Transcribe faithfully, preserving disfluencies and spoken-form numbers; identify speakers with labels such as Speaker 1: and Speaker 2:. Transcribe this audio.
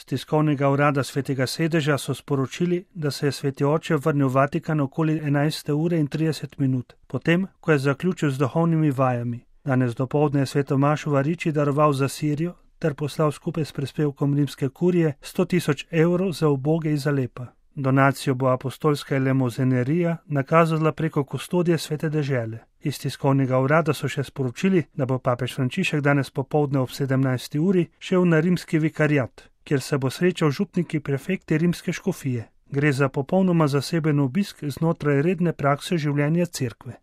Speaker 1: Z tiskovnega urada Svetega sedeža so sporočili, da se je sveti oče vrnil v Vatikan okoli enajste ure in trideset minut, potem, ko je zaključil z duhovnimi vajami. Danes dopoldne je sveto mašo v Ariči daroval za Sirijo ter poslal skupaj s prispevkom rimske kurije sto tisoč evrov za uboge iz Alepa. Donacijo bo apostolska elemozenerija nakazala preko kustodije svete dežele. Iz tiskovnega urada so še sporočili, da bo papež Frančišek danes popoldne ob sedemnajsti uri šel na rimski vikariat, kjer se bo srečal župniki prefekti rimske škofije. Gre za popolnoma zaseben obisk znotraj redne prakse življenja cerkve.